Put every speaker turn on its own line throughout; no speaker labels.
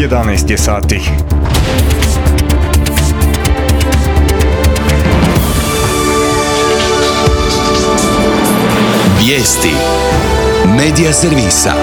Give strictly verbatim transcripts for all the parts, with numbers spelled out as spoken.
jedanaest je sati.
Vijesti Medija servisa.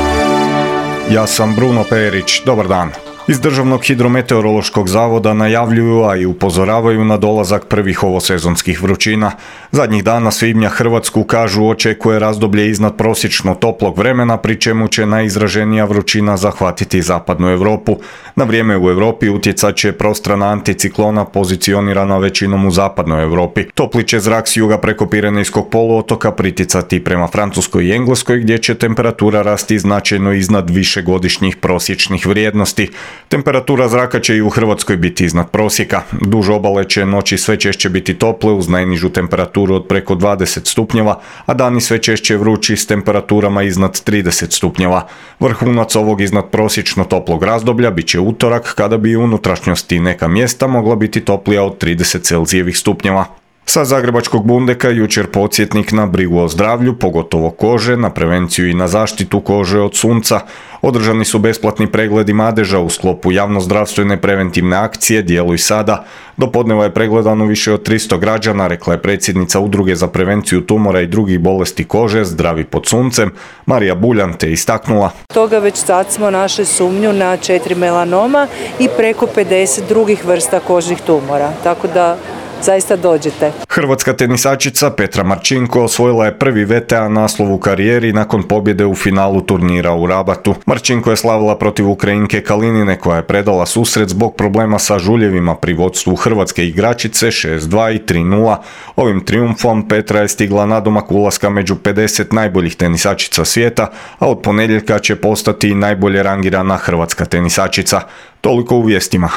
Ja sam Bruno Perić, dobar dan. Iz Državnog hidrometeorološkog zavoda najavljuju, a i upozoravaju na dolazak prvih ovosezonskih vrućina. Zadnjih dana svibnja Hrvatsku, kažu, očekuje razdoblje iznad prosječno toplog vremena, pri čemu će najizraženija vrućina zahvatiti zapadnu Europu. Na vrijeme u Europi utjecat će prostrana anticiklona pozicionirana većinom u zapadnoj Europi. Topli će zrak s juga preko Pirenejskog poluotoka priticati prema Francuskoj i Engleskoj, gdje će temperatura rasti značajno iznad višegodišnjih prosječnih vrijednosti. Temperatura zraka će i u Hrvatskoj biti iznad prosjeka. Duž obale će noći sve češće biti tople uz najnižu temperaturu od preko dvadeset stupnjeva, a dani sve češće vrući s temperaturama iznad trideset stupnjeva. Vrhunac ovog iznad prosječno toplog razdoblja bit će utorak, kada bi u unutrašnjosti neka mjesta mogla biti toplija od trideset celzijevih stupnjeva. Sa Zagrebačkog Bundeka jučer podsjetnik na brigu o zdravlju, pogotovo kože, na prevenciju i na zaštitu kože od sunca. Održani su besplatni pregledi madeža u sklopu javnozdravstvene preventivne akcije Djeluj sada. Do podneva je pregledano više od tristo građana, rekla je predsjednica Udruge za prevenciju tumora i drugih bolesti kože Zdravi pod suncem, Marija Buljan, te istaknula:
Toga već sad smo našli sumnju na četiri melanoma i preko pedeset drugih vrsta kožnih tumora, tako da zaista dođete.
Hrvatska tenisačica Petra Marčinko osvojila je prvi V T A naslov u karijeri nakon pobjede u finalu turnira u Rabatu. Marčinko je slavila protiv Ukrajinke Kalinine, koja je predala susret zbog problema sa žuljevima pri vodstvu hrvatske igračice šest dva i tri nula. Ovim trijumfom Petra je stigla nadomak ulaska među pedeset najboljih tenisačica svijeta, a od ponedjeljka će postati i najbolje rangirana hrvatska tenisačica. Toliko u vijestima.